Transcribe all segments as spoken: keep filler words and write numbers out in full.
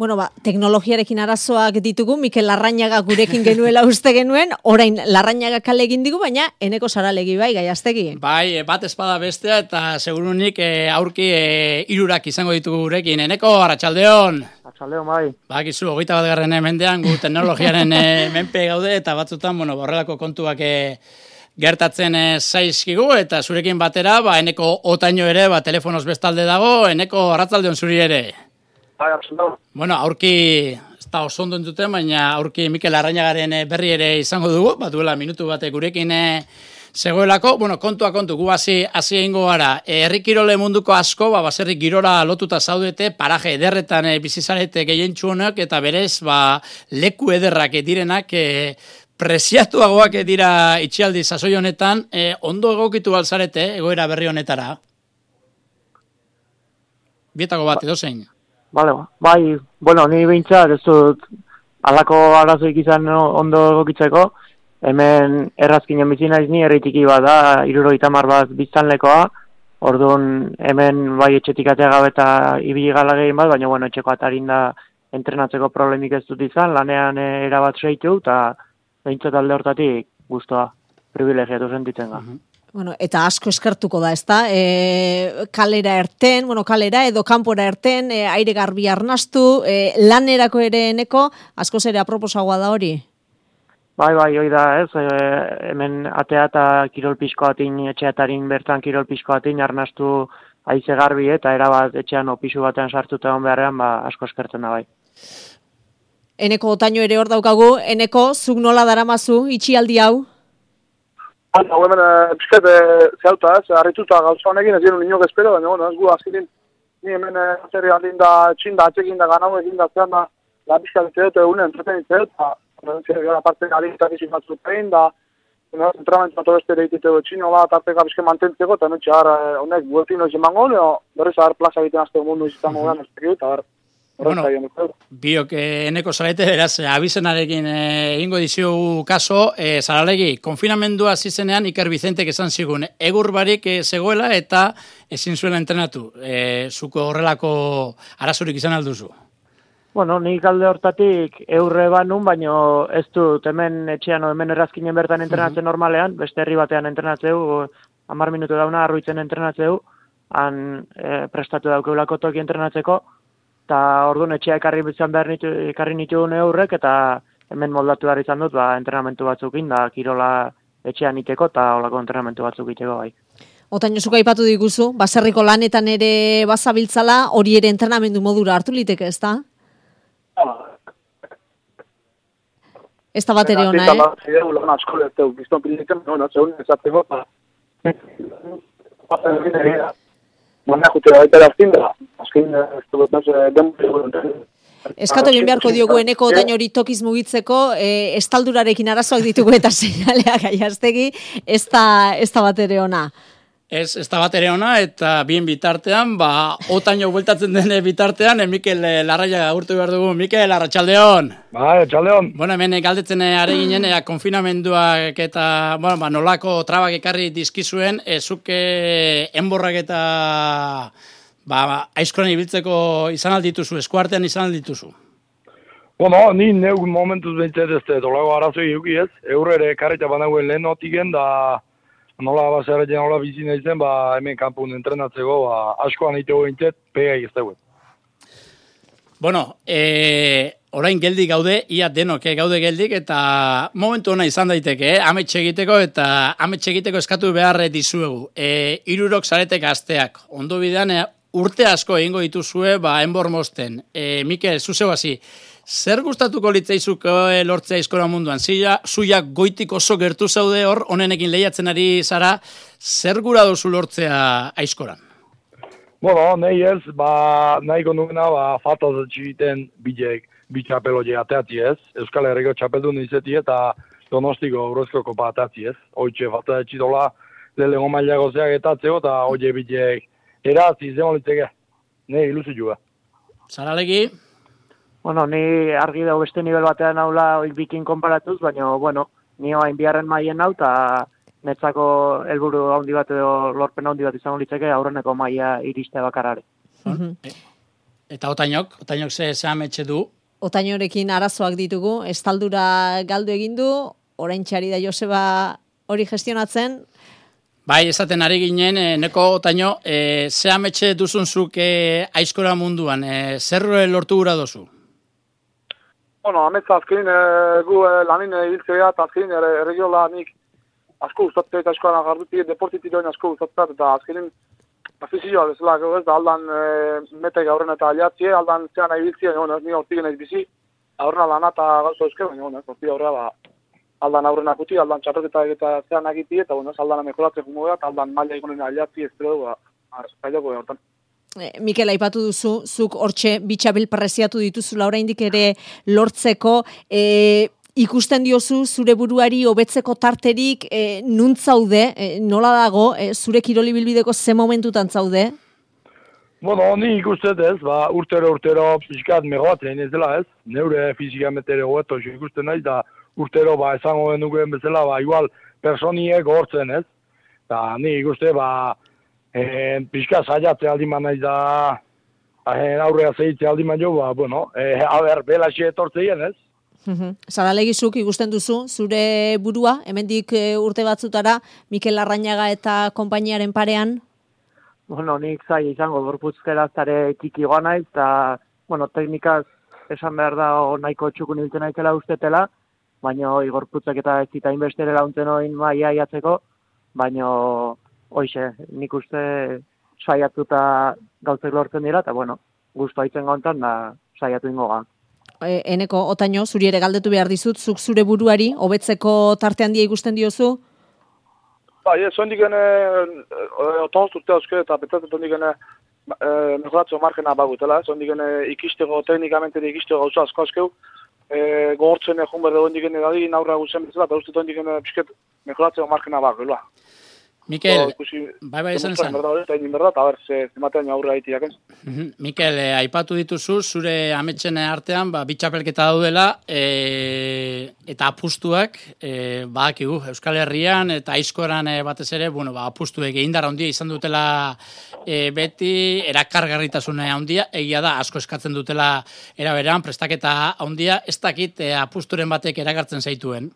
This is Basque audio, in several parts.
Bueno, ba, teknologiarekin arazoak ditugu, Mikel Larrañaga gurekin genuela uste genuen, orain Larrañaga kale egin digu, baina Eneko Saralegi bai, Gaiastegi. Bai, bat espada bestea, eta segurunik e, aurki e, irurak izango ditugu gurekin. Eneko, Arratsaldeon. Arratsaldeon, bai. Bakizu, hogeita bat garren mendean, gu teknologiaren e, menpe gaude, eta batzutan, bueno, horrelako kontuak e, gertatzen e, zaizkigu, eta zurekin batera, ba, Eneko Otaino ere, ba, telefonoz bestalde dago, Eneko, Arratsaldeon zuri ere. Bueno, aurki, ez da oso ondo entzuten, baina aurki Mikel Larrañagaren berri ere izango dugu, bat duela minutu bate gurekin zegoelako. Bueno, kontua kontu, gu hasi hasi egingo gara. Herri kirole munduko asko, ba, baserri girora lotuta zaudete, paraje ederretan e, bizizarete gehientsu honak, eta berez, ba, leku ederrak direnak, e, preziatuagoak dira itxialdi sasoi honetan, e, ondo egokitu balzarete, egoera berri honetara. Bietako bat, edo zein. Bale, bai, bueno, ni behintzat ez dut alako arazoik izan ondo egokitzeko, hemen errazkinen bizi naiz ni, herritiki bat da, hirurogeita hamar bat biztanlekoa, orduan hemen bai etxetik atea gabe eta ibili gala gehien bat, baina bueno, etxeko atarin da entrenatzeko problemik ez dut izan, lanean erabat seitu, eta behintzat alde hortatik guztua, privilegiatu sentitzen ga. Uh-huh. Bueno, eta asko eskertuko da, ezta? E, kalera erten, bueno, kalera edo kanpora erten, e, aire garbi arnastu, e, lanerako ere Eneko, askoz ere aproposagoa da hori? Bai, bai, hoi da, ez, e, hemen atea eta kirol pixko atin, etxeatarin bertan kirol pixko atin, arnastu haize garbi eta erabat etxean opisu batean sartuta egon beharrean, ba, asko eskertzen da bai. Eneko Otaino ere hor daukagu, Eneko, zuk nola daramazu, itxialdi hau? Hau hemen pixket zehauta, ez, harrituta gauza honekin, ez genuen inok espero, baina, bueno, ez gu azkinin, ni hemen zerri aldin da, txin da, atxekin da, ganau egin da, zehan da, la pixka ditzeut, egunen entretenitzeu, eta zerri gara parte galitak izin batzut egin da, entramentu bat obeste ere dituteu txino bat, arteka pixke mantentzeko, eta notxe har, honek, guetin noiz emango, leo, berriz har plaza egiten azte mundu izan mogan, ez tekit, eta har, bueno, biok eh, Eneko Zarete, beraz, abizenarekin egingo eh, diziogu kaso, eh, Zaralegi, konfinamendua zizenean Iker Bizentek esan zigun, egur barik eh, zegoela eta ezin zuela entrenatu. Eh, zuko horrelako arazorik izan alduzu? Bueno, nik alde hortatik eurre banun, baino ez dut hemen etxean o hemen errazkinen bertan entrenatzen uh-huh. normalean, beste herri batean entrenatzeu, hamar minutu dauna arruitzen entrenatzeu, han eh, prestatu daukeulako toki entrenatzeko, eta orduan etxea ekarri bizan behar nitu, ekarri nituen eurrek, eta hemen moldatu behar izan dut, ba, entrenamentu batzukin, da kirola etxean iteko, eta holako entrenamentu batzuk iteko bai. Otaino zuka aipatu diguzu, baserriko lanetan ere bazabiltzala, hori ere entrenamendu modura hartu liteke, ez da? Ez da bat ere ona, eh? Zideu lan asko lehtu, gizton pilitzen, no, zeun ezateko, eta Baina jute baita erazkin da, azkin ez dut Eskatu egin beharko diogu Eneko Otaino hori tokiz mugitzeko, e, estaldurarekin arazoak ditugu eta seinaleak Gaiastegi, ez da, ez da bat ere ona. Ez, ez da bat ere ona, eta bien bitartean, ba, Otaino bueltatzen den bitartean, e, Mikel Larrañaga agurtu behar dugu. Mikel, Arratsaldeon. Bai, Arratsaldeon. Bueno, hemen galdetzen ari ginen, ea, konfinamenduak eta, bueno, ba, nolako trabak ekarri dizkizuen, ezuke enborrak eta, ba, aizkoran ibiltzeko izan aldituzu, eskuartean izan aldituzu. Bueno, ni neuk momentuz behintzat ez dolago arazoi euki ez, eurre karreta banagoen lehen notiken, da nola baserretzen, nola bizi nahizen, ba, hemen kanpun entrenatzeko, ba, askoan egiteko behintzat, pega egizteuen. Bueno, e, orain geldik gaude, ia denok gaude geldik, eta momentu ona izan daiteke, eh? Ametxe egiteko, eta ametxe egiteko eskatu behar dizuegu. E, irurok zarete gazteak, ondo bidean, e, urte asko egingo dituzue, ba, enbor mosten. E, Mikel, zuzeu hasi, zer gustatuko litzaizuko lortzea aizkora munduan? Zia, zuia goitik oso gertu zaude hor, honenekin lehiatzen ari zara, zer gura duzu lortzea aizkoran? Bueno, nahi ez, ba, nahiko nuena, ba, fataz egiten bilek, bi txapelotxe ateatzi ez, Euskal Herriko txapeldun izeti eta Donostiko Eurozko kopa ateatzi ez. Hoitxe fataz egitola, leheno mailako zeak etatzeo, eta hoitxe bilek eraz izan litzeke, nahi ilusi juga. Zaralegi? Bueno, ni argi dago beste nivel batean haula oik bikin konparatuz, baina, bueno, ni hain biharren maien hau, eta netzako helburu handi bat edo lorpen handi bat izango litzeke aurreneko maia iriste bakarare. Uh-huh. Eta otainok, otainok ze zehametxe du? Otainorekin arazoak ditugu, estaldura galdu egin du, orain txari da Joseba hori gestionatzen. Bai, esaten ari ginen, e, neko otaino, e, zehametxe duzunzuk e, aizkora munduan, e, zer lortu gura dozu? Bueno, ametza azkenin e, gu e, lanin hiltzea eta azkenin erregiola nik asko gustatzen eta askoan gardutik deportitiroen asko gustatzen eta azkenin afizioa bezala, ez da aldan e, metek aurren eta aliatzie, aldan zean nahi biltzia, no, ni hortigen ez bizi, aurrena lana eta gauza euske, baina, no, horti aurrera, ba, aldan aurrena kuti, aldan txarroketa eta zean agiti, eta, bueno, aldan mejolatzen jungo da, aldan maila ikonen aliatzie, ez dut, ba, zailoko hortan. E, Mikel, aipatu duzu, zuk hortxe bitxabil preziatu dituzula oraindik ere lortzeko, e, ikusten diozu zure buruari hobetzeko tarterik e, nunt zaude, e, nola dago, e, zure kiroli bilbideko ze momentutan zaude? Bueno, ni ikustet ez, ba, urtero urtero pixkat megoatzen ez dela ez, neure fizikamente ere hobeto ikusten naiz, da urtero ba, esango denukeen bezala, ba, igual personiek hortzen ez, da ni ikuste, ba, e, pixkat saiatze aldiman naiz da, e, aurrea zehitze aldiman jo, ba, bueno, e, haber, belaxe etortzeien ez. Zaralegizuk ikusten duzu, zure burua, hemendik urte batzutara, Mikel Larrañaga eta konpainiaren parean? Bueno, nik zai izango gorputzkera zare txikigoa naiz, eta, bueno, teknikaz esan behar da nahiko txukun hiltzen naizela ustetela, baina gorputzak eta ez zita inbestere launtzen oin maia iatzeko, baina hoixe, nik uste saiatuta gauzek lortzen dira, eta, bueno, guztu haitzen gontan, da saiatu ingoga. Eneko, otaino, zuri ere galdetu behar dizut, zuk zure buruari, hobetzeko tarte handia ikusten diozu? Ba, ez, zondik gene, otonoz urte hauske, eta petzatzen zondik gene, mejoratzo margena bagutela, zondik gene ikistego, teknikamente ikistego gauza asko askeu, gogortzen egun berde zondik gene dadi, naurra guzen bezala, eta uste zondik gene pisket mejoratzo margena baguela. Mikel, bai bai esan esan. Eta egin berda, eta ber, zematean aurra haitiak. Mikel, eh, aipatu dituzu, zure ametsen artean, ba, bitxapelketa daudela, e, eta apustuak, e, badakigu, Euskal Herrian, eta aizkoran e, batez ere, bueno, ba, apustuek egindara handia izan dutela e, beti, erakargarritasune handia, egia da, asko eskatzen dutela eraberean, prestaketa handia, ez dakit e, apusturen batek erakartzen zaituen.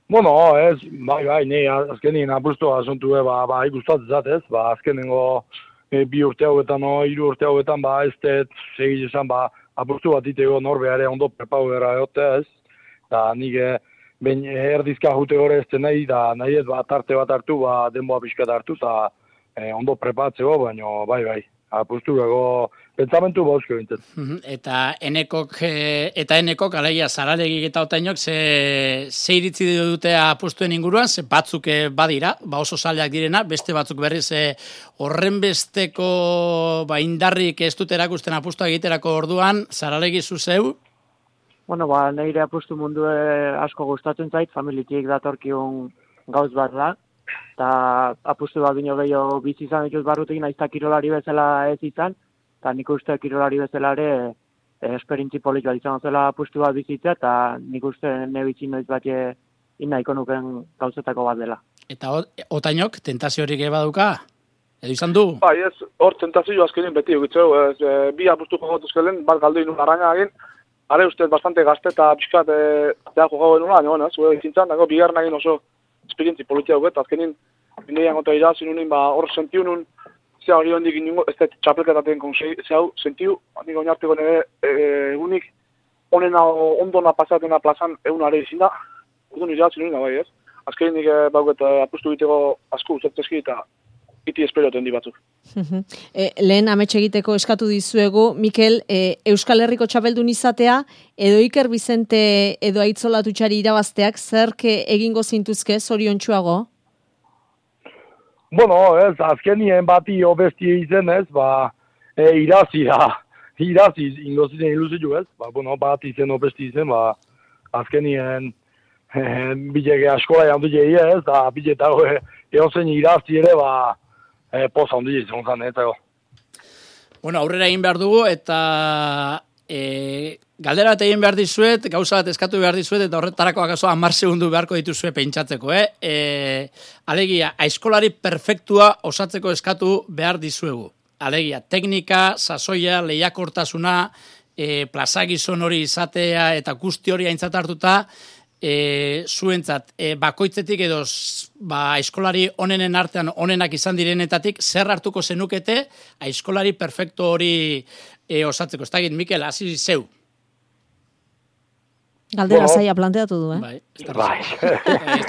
Bueno, ez, bai, bai, ne, azkenien apustu asuntu, ba, ba, ikustatzen zatez, ba, azkenengo e, bi urte hauetan, no, hiru urte hauetan, ba, ez dut, segiz esan, ba, apustu bat itego norbeare ondo prepau gara egote, ez, da, nik, ben, erdizka jute gore ez nahi, da, nahi ez, ba, tarte bat hartu, ba, denboa pixkat hartu, eta e, ondo prepatzeko, baina, bai, bai, apustu gago, pentsamentu bauzko bintzen. Eta enekok, eta enekok, alegia, Zaralegik eta otainok, ze, ze iritzi dute apustuen inguruan, ze batzuk badira, ba oso zaleak direna, beste batzuk berriz horren besteko ba, indarrik ez dut erakusten apustua egiterako orduan, Zaralegi zuzeu? Bueno, ba, nire apustu mundu asko gustatzen zait, familitik datorkiun gauz bat da, eta apustu bat bino gehiago bizi izan dituz barrutik, naizta kirolari bezala ez izan, eta nik uste kirolari bezala ere e, esperintzi polit bat izan zela apustu bat bizitzea, eta nik uste nebitzi noiz bat inaiko nuken gauzetako bat dela. Eta otainok, tentaziorik baduka? Edo izan du? Bai, ez, hor tentazio azkenin beti egitzeu, e, bi apustu jogotuzkelen, bat galdu inu Larrañaga egin, are uste bastante gazte eta pixkat e, teako gau genula, baina, bueno, zue izintzan, dago, bigarren egin oso esperintzi politia dugu, eta azkenin, binean gota irazin unin, ba, hor sentiu nun, zea hori hondik inungo, ez da txapelketaten konsei, zea hau, sentiu, handik oinarteko nire egunik, onena ondona pasatena plazan egunare izin da, udun irazin unin, bai ez. Azkenin nik bauket apustu egiteko asko uzatzezki eta iti esperioten di batzuk. e, lehen ametxe egiteko eskatu dizuegu, Mikel, e, Euskal Herriko txapeldun izatea, edo Iker Bizente edo Aitzolatutxari irabazteak, zerke egingo zintuzke, zoriontsuago? Bueno, ez, azkenien bati obesti izen ez, ba, e, irazi da, irazi ingoziten ilusitu ez, ba, bueno, bat izen obesti izen, ba, azkenien e, bilege askola jandu jeia ez, da biletago e, egon zen irazi ere, ba, e, poza handu izan zan, ez, ego. Bueno, aurrera egin behar dugu, eta e, galdera bat egin behar dizuet, gauza bat eskatu behar dizuet, eta horretarako akaso hamar segundu beharko dituzue pentsatzeko, eh? E, alegia, aizkolari perfektua osatzeko eskatu behar dizuegu. alegia, teknika, sasoia, lehiakortasuna, e, plazagizon hori izatea eta guzti hori aintzat hartuta, e, zuentzat, e, bakoitzetik edo ba, aizkolari onenen artean onenak izan direnetatik, zer hartuko zenukete aizkolari perfecto hori e, osatzeko. Ez dakit, Mikel, hasi zeu. Galdera bueno, zaila planteatu du, eh? Bai, ez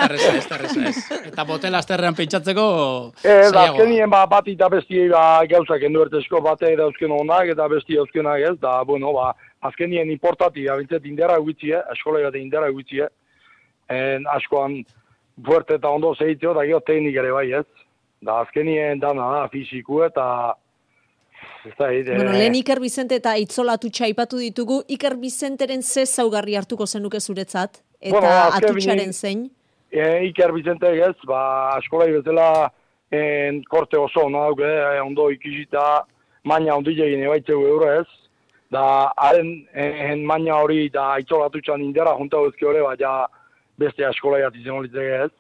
da reza, ez da reza, ez. Eta botela azterrean pentsatzeko eh, zailagoa. Azkenien ba, bat eta besti ba, gauzak enduertezko bate dauzken honak eta besti dauzkenak ez, da, bueno, ba, azkenien importati, abintzet indera gutxie, eskola gate indera gutxie, en askoan fuerte eta ondo zehitzeo, da gero teknik ere bai ez. Da azkenien dana da, fisiku eta Da, ide, bueno, lehen Iker Bizente eta Itzolatu txaipatu ditugu, Iker Bizenteren ze zaugarri hartuko zenuke zuretzat, eta bueno, atutxaren zein? E, Iker Bizente ez, ba, askolai bezala en, korte oso, no, e, ondo ikisita, maina ondile egin ebaitzeu euro ez, da, haren en, maina hori da Itzolatu txan indera, junta bezke hori, ba, ja, beste askolai atizen horitzeke ez.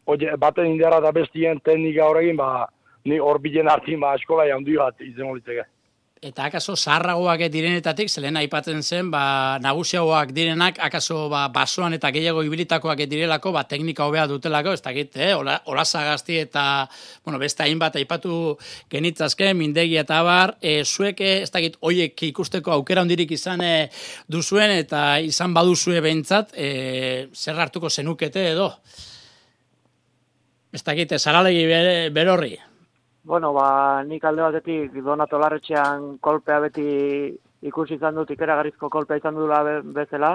Oye, baten indera da bestien teknika horregin, ba, ni hor bilen hartin ba eskolai handi bat izan olitzeke. Eta akaso zaharragoak direnetatik, zelen aipatzen zen, ba, nagusiagoak direnak, akaso ba, basoan eta gehiago ibilitakoak direlako, ba, teknika hobea dutelako, ez dakit, eh? Olazagazti eta, bueno, beste hainbat aipatu genitzazke, mindegi eta bar, e, zuek, ez dakit, hoiek ikusteko aukera hondirik izan e, duzuen, eta izan baduzue behintzat, e, zer hartuko zenukete edo? Ez dakit, zaralegi berorri. Bueno, ba, nik alde batetik Donato Larretxean kolpea beti ikusi izan dut, ikeragarrizko kolpea izan dula be, bezala,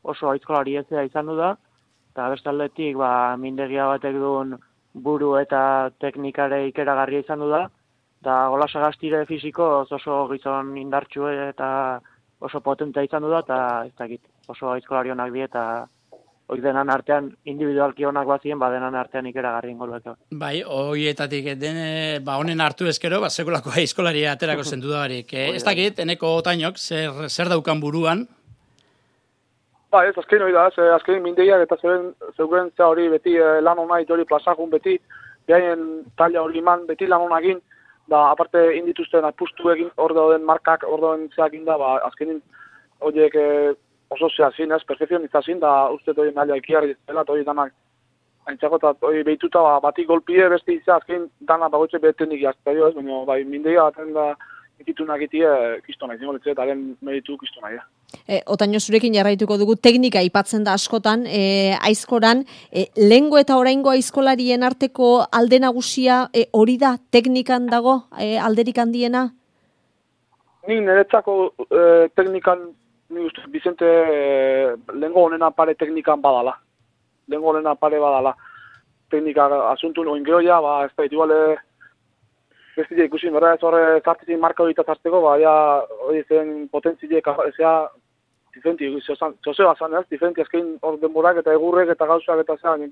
oso aizkolari ezea izan du da, eta beste aldetik, ba, mindegia batek duen buru eta teknikare ikeragarria izan du da, eta Golasagastire fisiko oso gizon indartxu eta oso potentea izan du da, eta ez dakit, oso aizkolari honak die, eta hori denan artean, individualki honak bazien, ba denan artean ikeragarri ingoluek. Bai, horietatik dene, ba honen hartu ezkero, ba sekulako aizkolari aterako zentu da barik. Eh, ez dakit, eneko otainok, zer, zer daukan buruan? Ba, ez, azken hori da, ez, azken mindeiak eta zeuren, zeuren za hori beti eh, lan hona hori plazakun beti, behaien talla hori iman beti lan honakin, da aparte indituzten apustu egin, hor dauden markak, hor dauden zeakin da, ba, azkenin horiek eh, oso zehazin, ez, perfekzionizazin, da uste hori naila ikiarri dela, eta hori danak aintzako, eta hori behituta ba, batik golpie beste izan, azken dana bagoitze behetenik jazterio, ez, baina bai, mindeia baten da ikitunak itie kistona, izango litzea, eta lehen meditu kistona, ja. E, Otaino, zurekin jarraituko dugu, teknika aipatzen da askotan, e, aizkoran, e, lehengo eta oraingo aizkolarien arteko alde nagusia e, hori da, teknikan dago, e, alderik handiena? Ni niretzako e, teknikan, ni uste, Bizente e, lehengo honena pare teknikan badala. Lehengo honena pare badala. Teknika asuntu noin geroia, ba, ez da, igual, ez dira ikusin, berda, ez horre zartizik marka hori zarteko, ba, ja, hori zen potentzileek, ezea, diferenti, zozea zan, ez, diferenti azkein hor denborak eta egurrek eta gauzak eta zean.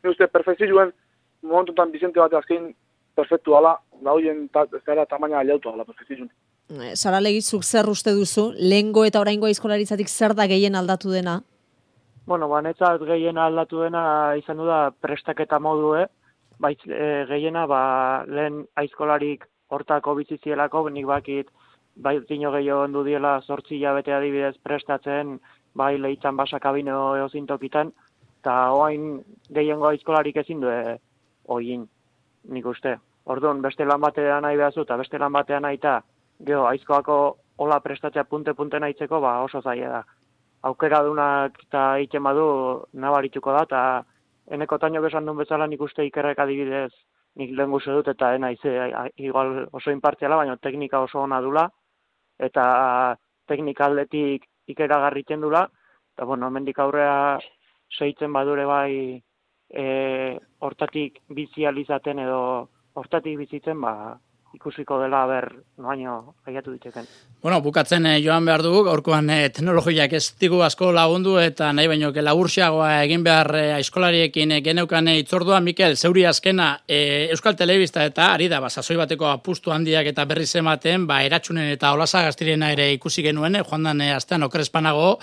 Ni uste, perfekzioen, momentutan Bizente bat azkein perfektu ala, da horien, ez da, tamaina aliautu ala, perfekzioen. Saralegi, zuk zer uste duzu, lehengo eta oraingo aizkolaritzatik zer da gehien aldatu dena? Bueno, ba, netzat gehien aldatu dena izan du da prestaketa modue, bait e, gehiena, ba, lehen aizkolarik hortako bizizielako, nik bakit, bai, tino gehiago ondu diela zortzi hilabete adibidez prestatzen, bai, lehitzan basakabino eozintokitan, eta oain gehiengo aizkolarik ezin du e, oin, nik uste. Orduan, beste lan batean nahi behazu, eta beste lan batean nahi eta, Gero, aizkoako hola prestatzea punte-punte nahitzeko, ba, oso zaila da. Aukera dunak eta egiten badu nabarituko da, eta eneko taino besan duen bezala nik uste Ikerrek adibidez nik lehen guze dut, eta ena ize, igual oso inpartziala, baina teknika oso ona dula, eta teknika aldetik ikeragarritzen dula, eta bueno, hemendik aurrea segitzen badure bai e, hortatik bizializaten edo hortatik bizitzen, ba, ikusiko dela ber baino gaiatu diteken. Bueno, bukatzen eh, joan behar dugu, gaurkoan eh, teknologiak ez digu asko lagundu eta nahi baino ke laburxiagoa egin behar eh, aizkolariekin eh, geneukan eh, itzordua. Mikel, zeuri azkena eh, Euskal Telebista eta ari da, ba, sasoi bateko apustu handiak eta berriz ematen, ba, Eratxunen eta Olasagaztirena ere ikusi genuen, eh, joan dan eh, astean okrespanago,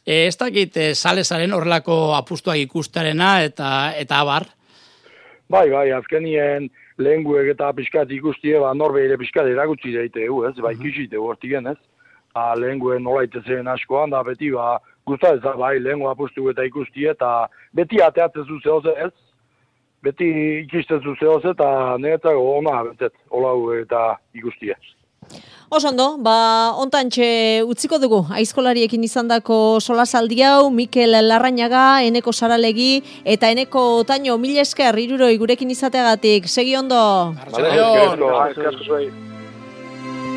eh, ez dakit eh, salesaren horrelako apustuak ikustarena eta eta abar. Bai, bai, azkenien lehenguek eta pixkat ikustie, ba, norbeire pixkat eragutzi daite, ez, ba, ikisite hortigen, ez. Ba, lehenguen nola itezen askoan, da beti, ba, guztat ez da, bai, lehengu apustu eta ikustie, eta beti ateatzen zuzehoz, ez. Beti ikisten zuzehoz, eta niretzako ona, betet, olau eta ikustie. Osondo, ba, ontantxe utziko dugu, aizkolariekin izandako solasaldi hau, Mikel Larrañaga, Eneko Saralegi, eta Eneko Otaño, mil esker, hiruroi gurekin izateagatik, segi ondo. Vale,